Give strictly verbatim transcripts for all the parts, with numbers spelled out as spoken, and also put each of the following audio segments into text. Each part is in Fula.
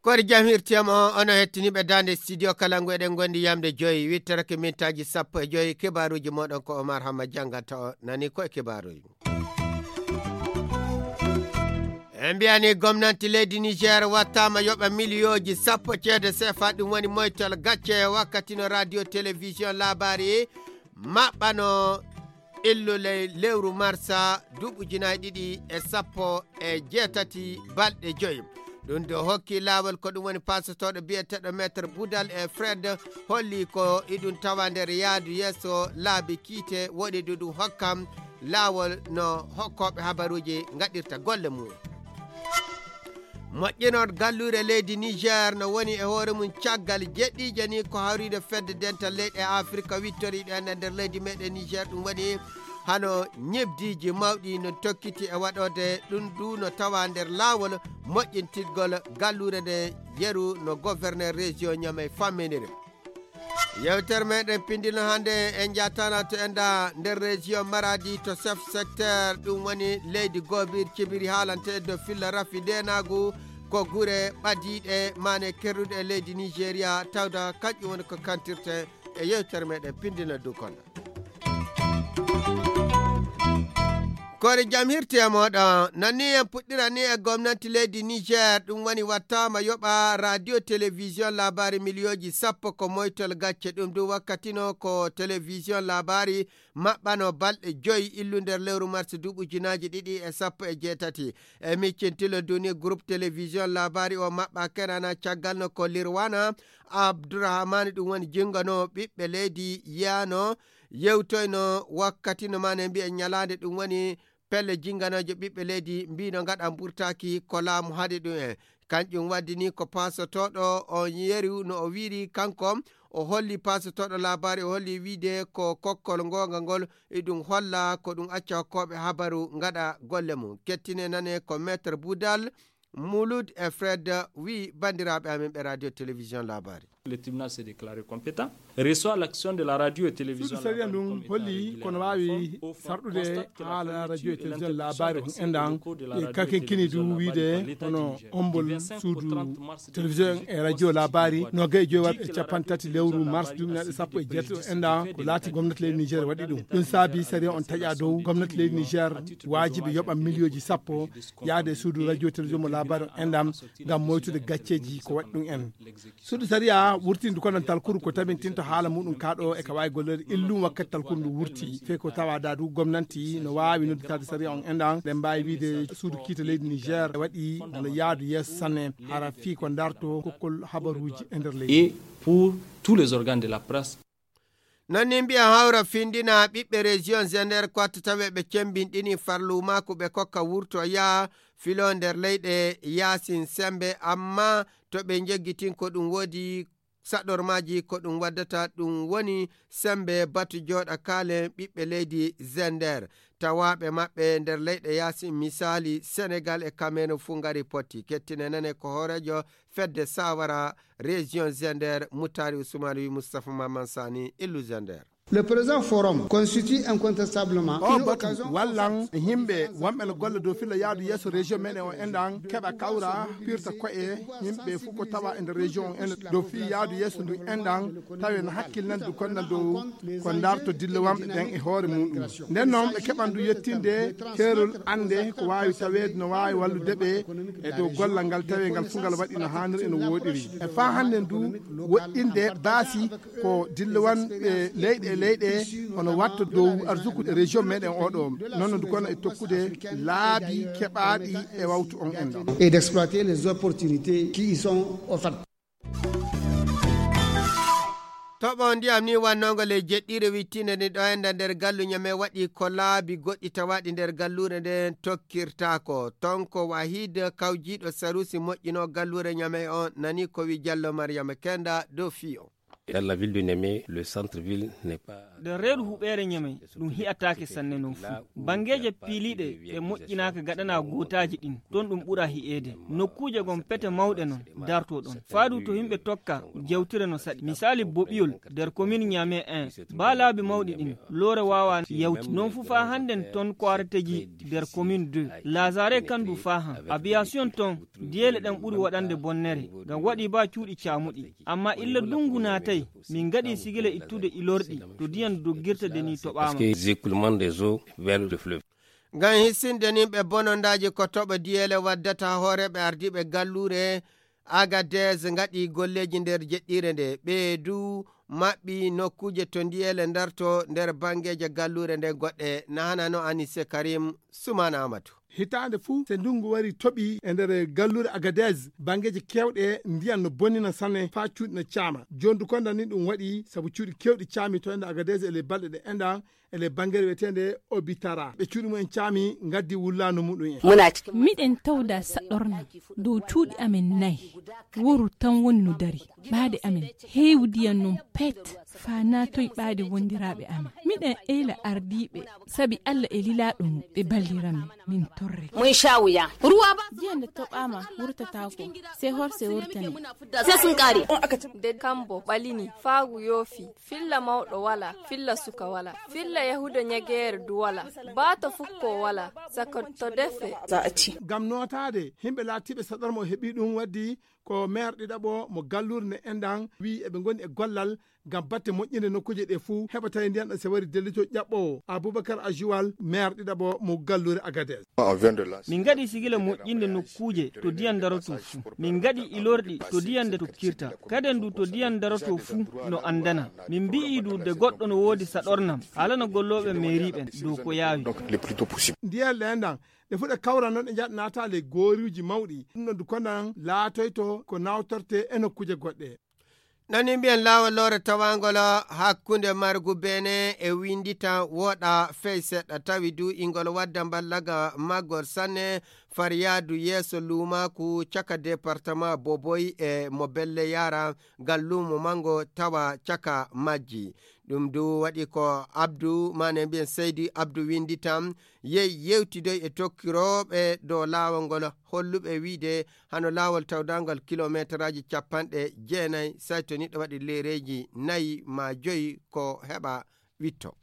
Koori jam hirtiyam on, onon hettiniiɓe daande studio Kalangu, eɗen ngondi yamde joyi, wittorake mintaaji sappo e joyi, kibaaruuji mooɗon ko Omar Hamma janngata o, nani ko e kibaaruuji. En mbiyani gomnanti leydi Niger wattaama yoɓa miliyooji sappo ceede sefa, ɗum woni moytol gacce wakkati no radio télévision laabaari maɓɓano illu ley lewru marsa duuɓi ujunaaji ɗiɗi e sappo e jeetati balɗe joyi. Ɗum do hokki laawol ko ɗum woni pasotooɗo biyeteeɗo Maître Boudal e Fred holli ko iɗum tawa nder yaadu yeeso laabi kiite woni ɗo ɗum hokkam laawol no hokkooɓe habaruuji ngaɗirta golle mum. Moƴƴinol galluure leydi Niger no woni e hoore mum caggal jeɗɗiije ni ko hawriide fedde dental leyɗe Afrika wittoriiɗe en e nder leydi meɗen Niger, ɗum woni hano ñebdiiji mawɗi no tokkiti e waɗoode ɗum du no tawa nder laawol moƴƴintirgol galluure nde yeru no gouverneur région Niamey famminiri. Yewtere meɗen pindino hannde en jatana to enda nder région Maradi to chef secteur ɗum woni leydi Gobir Cibiri haalante do filla rafi denagu ko gure ɓadiiɗe mane kerruɗe e leydi Nigeria tawda kanƴum woni ko kantirte e yewtere meɗen pindino du kono. Koore jam hirti e mooɗon. Nani en puɗɗira ni e gomnati leydi Niger, ɗum woni wattaama yoɓa radio télévision laabaari miliyooji sappo ko moytol gacce. Ɗum du wakkatino ko télévision laabaari maɓɓano balɗe joyi illu nder lewru mars duuɓi ujunaaji ɗiɗi e sappo e jeetati. E miccintilo duni groupe télévision laabaari o maɓɓa kenana caggal no ko Lirwana Abdourahmane ɗum woni jingano ɓiɓɓe leydi yano yewtoyno wakkati no mane mbiya ñalaande ɗum woni pelle jinganooje ɓiɓɓe leydi mbino ngaɗa mburtaaki ko laamu haɗi ɗum en. Kanƴum waddi ni ko paasotooɗo on yeru no o wiiri kanko o holli paasotooɗo laabaari o holli wiide ko kokkol ngonga ngol e ɗum holla ko ɗum acca hokkooɓe habaru ngaɗa golle mum. Kettine nane ko Maître Boudal, Mulud e Fred wi bandiraaɓe amen ɓe radio télévision laabaari. Le tribunal s'est déclaré compétent, reçoit l'action de la radio et télévision suudu sariya ndun holli kono waawi sarɗude haala radio et télévision laabaari on endan e kakenkini du wiide hono ombol suudu télévision e radio laabaari no gay joyi waɗɓe capanɗe tati lewru mars duminaɗe sappo e jeetati o endan ko laati gomnati leydi niger waɗi ɗum. Ɗum saabi sariya on taƴa dow gomnati leydi niger waajibi yoɓa miliyooji sappo yaade suudu radio télévision mo laabaari on endan ngam moytude gacceeji ko waɗi ɗum en. Suudu sariya wurtindu kono talkuru ko tabintinto haala muɗum kaɗo e ka wawi gollere illum wakkati talkuru ndu wurti fey ko tawa dadu gomnanti no wawi nodditade sariya on endan ɗen mbawi wiide suudu kiita leydi niger e waɗi no yaadu yeeso sanne hara fii ko darto kokkol habaruji e nder leydi. Et pour tous les organes de la presse. Non ni mbiya hawra findina ɓiɓɓe région zender ko watta tawe ɓe cembinɗini farlu makko ɓe kokka wurto yaa filo nder leyɗe yaasin sembe amma to ɓe njeggitin ko ɗum woodi saɗormaaji ko ɗum waddata ɗum woni sembe batu jooɗa kaalen ɓiɓɓe leydi zender tawaaɓe maɓɓe nder leyɗe yaasin misaali senegal e kamerun fuu ngari potti kettine nane ko hooreejo fedde sawara région zender mutari usmane wi moustapha maman sani illu zender. Le présent forum constitue incontestablement o une batu occasion wallan e yimɓe wonɓe no golle dow filla yaadu yeeso région meɗen o enɗan keɓa kawra pirta koye yimɓe fof ko tawa e nder région o en dow fi yaadu yeeso ndu enɗan tawi no hakkilnande du konnan dow ko darto dillowamɓe ɓen e hoore muɗum. Nden noon ɓe keɓan du yettinde keerol annde ko waawi taweede no waawi wallude ɓe e dow gollal ngal tawi ngal fof ngal waɗi no haaniri e no wooɗiri e faa hannden du woɗɗinde baasi ko dillowamɓe leyɗe e leyɗe hono watta dow arsuku région meɗen oɗo noon du kono e tokkude laabi keɓaaɗi e wawtu on enɗan. Et d'exploiter les opportunités qui y sont offertes. Toɓo ndiyam ni wannongo ley jeɗɗiire wittinde ni ɗo enda nder gallu ñame waɗi ko laabi goɗɗi tawaɗi nder galluure nden tokkirtaako ton ko wahid kawjiiɗo sarusi moƴƴino galluure ñame on nani ko wi jallo mariyama kenda dow fiyo. Dans la ville de Niamey, le centre-ville n'est pas. Nder reedu huɓeere Ñamey, ɗum hi'ataake sanne non fuu. Banngeeje piiliiɗe ɗe moƴƴinaaka gaɗanaa gootaaji ɗin, ton ɗum ɓura hi'eede. Nokkuuje gon pete mawɗe non dartoo ɗon. Faadu to yimɓe tokka jewtire no saɗi. Misaali boɓiyol nder komin Ñamey en, baa laabi mawɗi ɗin, loore waawaa yawti. Non fuu faa hannden ton ko areteji nder komin deux. Lazare kan du faa han. Abiyasiyon ton, diyeele ɗen ɓuri waɗande bonnere. Ngam waɗi baa cuuɗi caamuɗi. Amma illa dungu naatay, min ngaɗi sigila ittude ilorɗi to diyan doggirta de ni toɓaama. Parce que les écoulements des eaux vers le fleuve. Ngam hissinde nin ɓe bonondaaji ko toɓo diyeele waddata hooreeɓe ardiiɓe galluure Agadez ngaɗi golleeji nder jeɗɗiire nde. Ɓe du maɓɓi nokkuuje to ndiyeele ndarto nder banngeeje galluure nden goɗɗe. Na hana no Anise Karim Sumana Amadu. Hitaande fuu, se ndungu wari toɓi e nder galluure Agadez, banngeeji keewɗe ndiyan no bonnina sanne faa cuuɗi no caama. Jooni du konda ni ɗum waɗi sabu cuuɗi keewɗi caami to ende Agadez e ley balɗe ɗe enɗan e ley banngere wiyeteende Obitara. Ɓe cuuɗi mumen caami ngaddi wullaandu muɗum en. Miɗen tawda saɗorna dow cuuɗi amen nayi. Woru tan woni no dari. Ɓaade amen heewdiyan non pet faa naatoy ɓaade wondiraaɓe amen. Miɗen eyla ardiiɓe sabi Alla e lilaaɗo mum ɓe balliran min. Min torre. Mun sha wuya. Ruwa ba. Jiya nde toɓaama wurtataako. Se horse wurtane. Se sun kare. De kambo ɓalini faagu yoofi. Filla mawɗo wala, filla suka wala. Filla yahuda ñageere du wala. Baato fukko wala. Saka to defe. Ngam nootaade himɓe laatiiɓe saɗorma o heɓi ɗum waddi ko maire ɗiɗaɓo mo galluure nde enɗan wi'i eɓe ngoni e gollal ngam batte moƴƴinde nokkuuje ɗe fuu heɓa tawi ndiyan ɗan se wari dellito ƴaɓɓoowo Abubakar Ajuwal, maire ɗiɗaɓo mo galluure Agadez. Min ngaɗi sigila moƴƴinde nokkuuje to ndiyan daroto fuu. Min ngaɗi ilorɗi to ndiyan nde tokkirta. Kaden du to ndiyan daroto fuu no anndana. Min mbi'i du de goɗɗo no woodi saɗornam, haalana gollooɓe mairie ɓen dow ko yaawi. Ndiyan ɗe enɗan ɗe fuɗa kawra non ɗe njaɗa naata ley gooruuji mawɗi. Ɗum ɗon du kondan laatoyto ko nawtorte e nokkuuje goɗɗe. Nani mbiyen laawol loore tawangol hakkunde margu Benin e Windita woɗa fey seɗɗa, tawi du ingol wadda mballaga maggol sanne far yaadu yeeso luumaaku caka departement Boboy e mo belle yaara ngal luumo mango tawa caka majji. Ɗum du waɗi ko Abdu, maane mbiyen Seydi Abdu Windita, yehi yewtidoy e tokkirooɓe dow laawol ngol, holluɓe wiide hano laawol tawdangal kilomeetaraaji capanɗe jeenay, say to niɗɗo waɗi leereeji nayi maa joyi ko heɓa witto.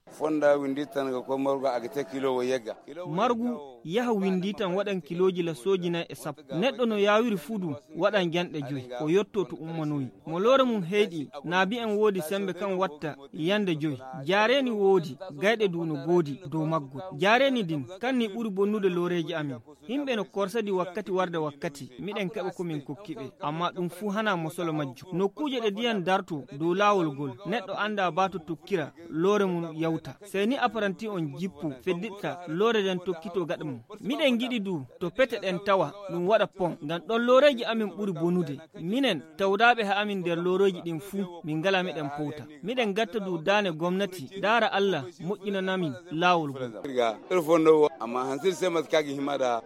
Fonda Winditan ga ko morgo agate kilo wo yegga. Margu yaha Winditan waɗan kilooji la sooji nay e sappo. Neɗɗo no yaawiri fuu du waɗan janɗe joyi, o yotto to ummanoyi. Mo loore mum heyɗi, naabi en woodi sembe kan watta yande joyi. Jaareeni woodi, gayɗe du no goodi dow maggol. Jaareeni din, kan ni ɓuri bonnude looreeji amin. Himɓe no korsadi wakkati warde wakkati, miɗen keɓa ko min kokki ɓe. Amma ɗum fuu hana mosolo majjum. Nokkuuje ɗe diyan darto dow laawol gol, neɗɗo anndaa baa to tokkira, loore mum yawta. Sey ni aparanti on jippo, fedditta, loore den tokkito gaɗa mum. Miɗen ngiɗi du, to pete ɗen tawa, ɗum waɗa pon. Ngam ɗon looreeji amin ɓuri bonude. Minen, tawdaaɓe ha amin nder looreeji ɗin fuu, min ngala miɗen powta. Miɗen gatta du daane gomnati, daara Allah, moƴƴinanamin laawol ngol. Amma hansir se maskagi himada.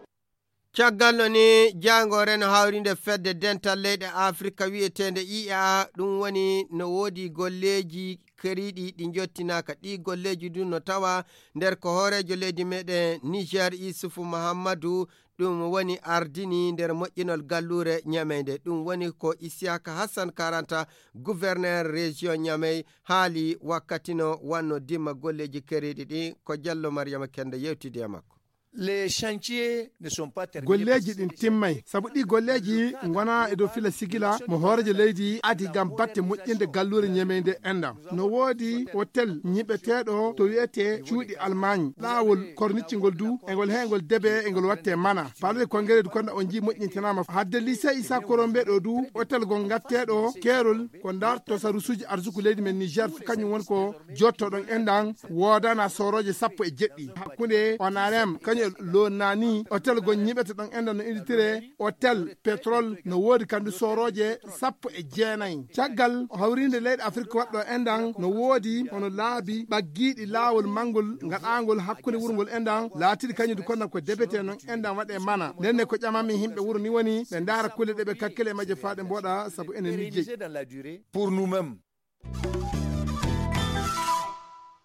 Caggal no ni, jaangoore no hawrinde fedde dental leyɗe Afrika wi'eteende I A, ɗum woni no woodi golleeji keriiɗi ɗi njottinaaka. Ɗii golleeji du no tawa nder ko hooreejo leydi meɗen Niger Isufu Muhammadu, ɗum woni ardini nder moƴƴinol galluure Ñamey nde. Ɗum woni ko Isiyaka Hassan Karanta, gouverneur région Ñamey, haali wakkati no wanno dimma golleeji keriiɗi ɗi. Ko Jallo Mariama Kende yewtidi e makko. Les chantiers ne sont pas terminés. Golleeji ɗin timmay, sabu ɗi golleeji ngona e dow fila sigila mo hooreejo leydi adi ngam batte moƴƴinde galluure Ñamey nde enɗam. No woodi hotel ñiɓeteeɗo to wi'etee cuuɗi Almaañ. Laawol kornicci ngol du, e ngol he ngol debe, e ngol watte mana. Palais de congrès du konda on jii moƴƴintinaama. Hadde lycée Issa Korombe ɗo du, hotel gol ngatteeɗo keerol ko ndarto sarusuuji arsuku leydi men Niger fu kañum woni ko jottoɗon enɗan woodana soorooje sappo e jeɗɗi. Hakkunde Onarem kañum e Lonani, hotel gol ñiɓete ɗon enɗan no inditire hotel pétrole, no woodi kandu soorooje sappo e jeenay. Caggal hawriinde leyɗe Afirka waɗɗo enɗan no woodi hono laabi ɓaggiiɗi laawol manngol ngaɗaangol hakkunde wuro ngol enɗan laatiiɗi kañum du konda ko debete non enɗan waɗe mana. Ndenne ko ƴamami yimɓe wuro ni woni ɓe ndaara kulle ɗe ɓe kakkile e majje faa ɗe mbooɗa sabu enen ni jeyi. Pour nous-mêmes.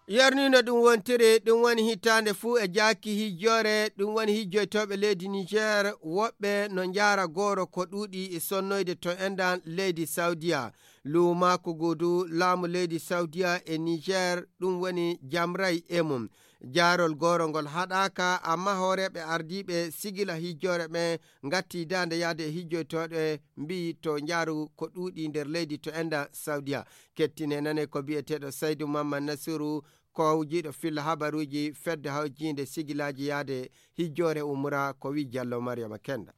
Yarnino ɗum wontiri, ɗum woni hitaande fuu e jaaki hijjoore, ɗum woni hijjoytooɓe leydi Niger, woɓɓe no njaara gooro ko ɗuuɗi e sonnoyde to enɗan leydi Saudiya. Luumaaku gudu laamu leydi Saudiya e Niger, ɗum woni jamray e mum. Jaarol gooro ngol haɗaaka, amma hooreeɓe ardiiɓe sigila hijjoore ɓen ngatti daande yaade e hijjoytooɓe mbiyi to njaaru ko ɗuuɗi nder leydi to enɗan Saudiya. Kettine nane ko biyeteeɗo Saydu Mamman Nasiru, ko hawjiiɗo filla habaruuji fedde hawjiinde sigilaaji yaade hijjoore umra, ko wi Jallo Mariama Kenda.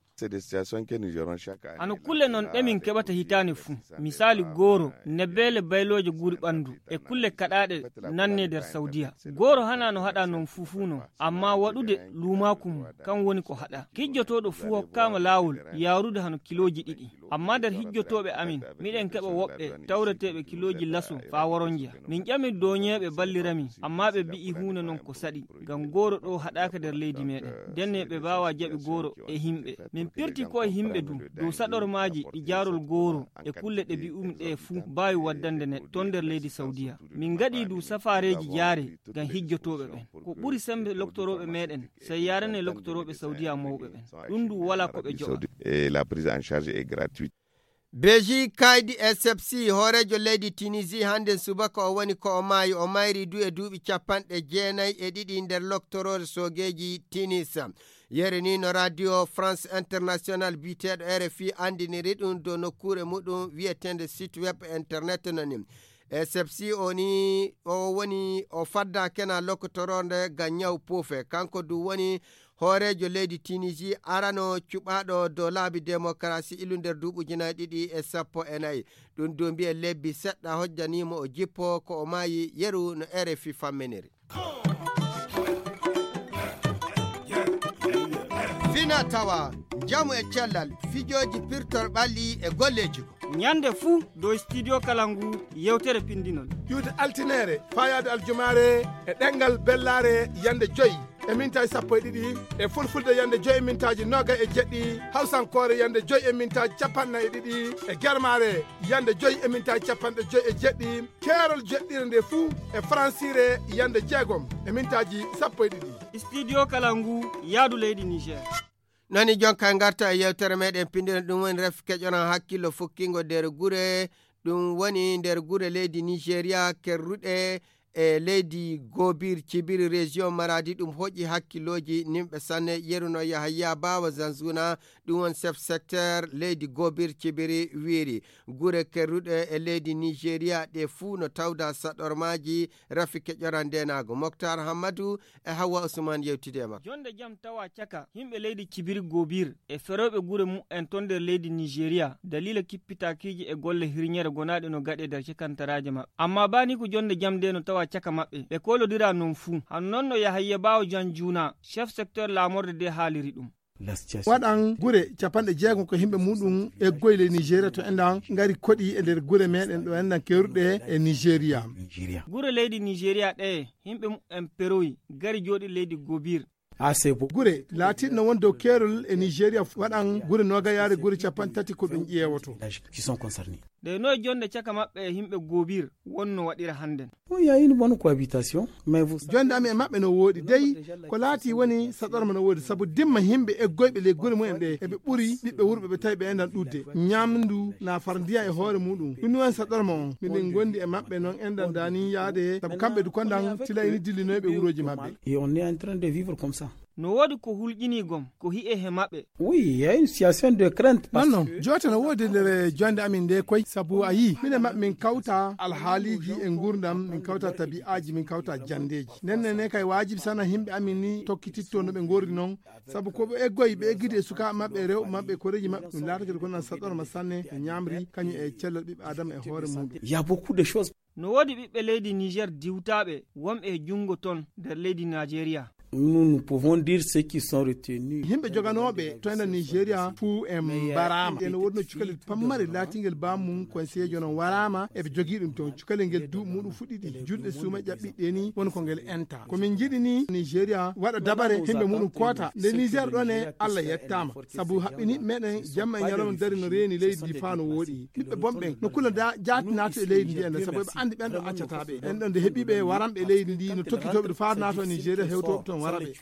Hano kulle non ɗe min keɓata hitaande fuu. Misaali gooro, nebeele baylooje guri ɓanndu, e kulle kaɗaaɗe nanne nder Saudiya. Gooro hana no haɗa non fuu fuu non, amma waɗude luumaaku mum, kan woni ko haɗa. Hijjotooɗo fuu hokkaama laawol yaarude hano kilooji ɗiɗi. Amma nder hijjotooɓe amin, miɗen keɓa woɓɓe tawreteeɓe kilooji laso faa woronja. Min ƴami dooñeeɓe ballira min, amma ɓe bi'i huunde non ko saɗi, ngam gooro ɗoo haɗaaka nder leydi meɗen. Ndenne ɓe mbaawa jaɓi gooro e himɓe. Min pirti ko e himɓe duu, dow saɗormaaji e jaarol gooro e kulle ɗe bi'umi ɗe fuu mbaawi waddande neɗɗo ton nder leydi Saudiya. Min ngaɗi duu safaareeji jaare ngam hijjotooɓe ɓen. Ko ɓuri sembe loktorooɓe meɗen, sey yaarane loktorooɓe Saudiya mawɓe ɓen. Ɗum duu walaa ko ɓe joɓa. Et la prise en charge est gratuite. Beji Kaydi S F C, hooreejo leydi Tunisie, hannden subaka o woni ko o maayi. O mayri duu e duuɓi capanɗe jeenayi e ɗiɗi nder loktoroore soogeeji Tunis. Yere ni no Radio France International biyeteeɗo R F I anndiniri ɗum dow nokkuure muɗum wiyeteende site web internet no ni. S F C o ni o woni o fadda kena lokotoroonde ngam ñaw puufe. Kanko duu woni hooreejo leydi Tunisie arano cuɓaaɗo dow laabi demokarasi ilu nder duuɓi ujunaaji ɗiɗi e sappo e nayi. Ɗum duu mbiye lebbi seɗɗa hojjaniimo o jippo ko o maayi yeru no R F I famminiri. Fina tawa, njamu e cellal, fijooji pirtor ɓalli e golleeji. Ñande fuu dow Studio Kalangu yewtere pindinol. Iwde altineere, faayaade aljumaare e ɗemngal bellaare yande joy e mintaaji sappo e ɗiɗi, e fulfulde yande joy e mintaaji noogay e jeɗɗi, hawsankoore yande joy e mintaaji capanɗe nayi e ɗiɗi, e germaare yande joy e mintaaji capanɗe joy e jeɗɗi, keerol jeɗɗire nde fuu e faransiire yande jeegom e mintaaji sappo e ɗiɗi. Studio Kalangu, yaadu leydi Niger. Nani jonka ngarta e yewtere meɗen pinndire ɗum woni ref keƴoran hakkillo fukkingo nder gure, ɗum woni nder gure leydi Nigeria kerruɗe e leydi Gobir Cibiri région Maradi. Ɗum hoƴi hakkillooji nimɓe sanne. Yeruno Yahaya Bawa Zanzuna, ɗum won chef secteur leydi Gobir Cibiri, wiiri gure kerruɗe e leydi Nigeria ɗe fuu no tawda saɗormaaji rafi keƴoran ndenaago. Moktar Hammadu e Hawwa Usman yewtide e makko. Jonde jam tawa caka yimɓe leydi Cibiri Gobir e ferooɓe gure mu'en ton nder leydi Nigeria, daliila kippitaakiiji e golle hirñere gonaaɗe no gaɗe nder cakantaraaje maɓɓe. Amma baa ni ko jonde jam nde no tawa caka maɓɓe, ɓe koolodira non fuu. Hano non no Yahaya Bawo Janjuna, chef secteur laamorde nde haaliri ɗum. Waɗan gure capanɗe jeegom ko yimɓe muɗum eggoyi ley Nigeria to enɗan ngari koɗi e nder gure meɗen ɗo enɗan keruɗe e Nigeria. Gure leydi Nigeria ɗe yimɓe mu'en peroyi ngari jooɗi leydi Gobir. Gure laatiɗo no won dow keerol e Nigeria waɗan gure noogayaare gure capanɗe tati ko ɗum ƴeewoto. Ɗe noye jonde caka maɓɓe e yimɓe Gobir wonno waɗira hannden? Oui, il y a une bonne cohabitation, mais vous savez. Jonde amin e maɓɓe no wooɗi dey, ko laati woni saɗorma no woodi, sabu dimma yimɓe eggoyɓe ley gure mumen ɗe, eɓe ɓuri ɓiɓɓe wurɓe ɓe tawi ɓe enɗan ɗuuɗde. Ñamndu na far ndiyan e hoore muɗum. Ɗum woni saɗorma on. Miɗen gondi e maɓɓe non enɗan dani yaade, sabu kamɓe du kondan tila ini dillinoyɓe wurooji maɓɓe. Et on est en train de vivre comme ça. No woodi ko hulƴinii gom, ko hi'e he maɓɓe. Oui, il y a une situation de crainte parce que. Non, non, joote no woodi nder jonde amin nde koy, sabu a yii, minen maɓɓe min kawta alhaaliiji e nguurndam, min kawta tabi'aaji, min kawta janndeeji. Nden ne, ne kay waajibi sana yimɓe amin ni tokkititto no ɓe ngorri non, sabu ko ɓe eggoyi, ɓe eggidi e sukaaɓe maɓɓe, e rewɓe maɓɓe, e koreeji maɓɓe, ɗum laatake ko nan saɗorma sanne, e ñaamri, kañum e cellal ɓiɓɓe Aadama e hoore muɗum. Il y a beaucoup de choses. No woodi ɓiɓɓe leydi Niger diwtaaɓe wonɓe e junngo ton nder leydi Nigeria. Nous, nous pouvons dire ceux qui sont retenus. Yimɓe joganooɓe to ena Nigeria fuu en mbaraama. Ene woodno cukalel pammare laatingel baamu mum conseillejo non waraama, eɓe jogii ɗum toon. Cukalel ngel duuɓi muɗum fuɗɗiɗi, julɗe suuma ƴaɓɓiɗe ni woni ko ngel enta. Ko min njiɗi ni Nigeria waɗa dabare, yimɓe muɗum koota. Nde Niger ɗon e Allah yettaama, sabu haɓɓini meɗen jamma e ñalawma dari no reeni leydi ndi faa no wooɗi. Ɓiɓɓe bonɓe no kula da jaati naato e leydi ndi enen, sabu eɓe anndi ɓen ɗo accata ɓe. En ɗon nde heɓi ɓe waranɓe leydi ndi no tokkitooɓe ɗo faa naato Nigeria hewtooɓe toon wara ɓe.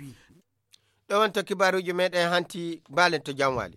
Ɗo wonto kibaaruuji meɗen hanti, mbaalen to Janwaali.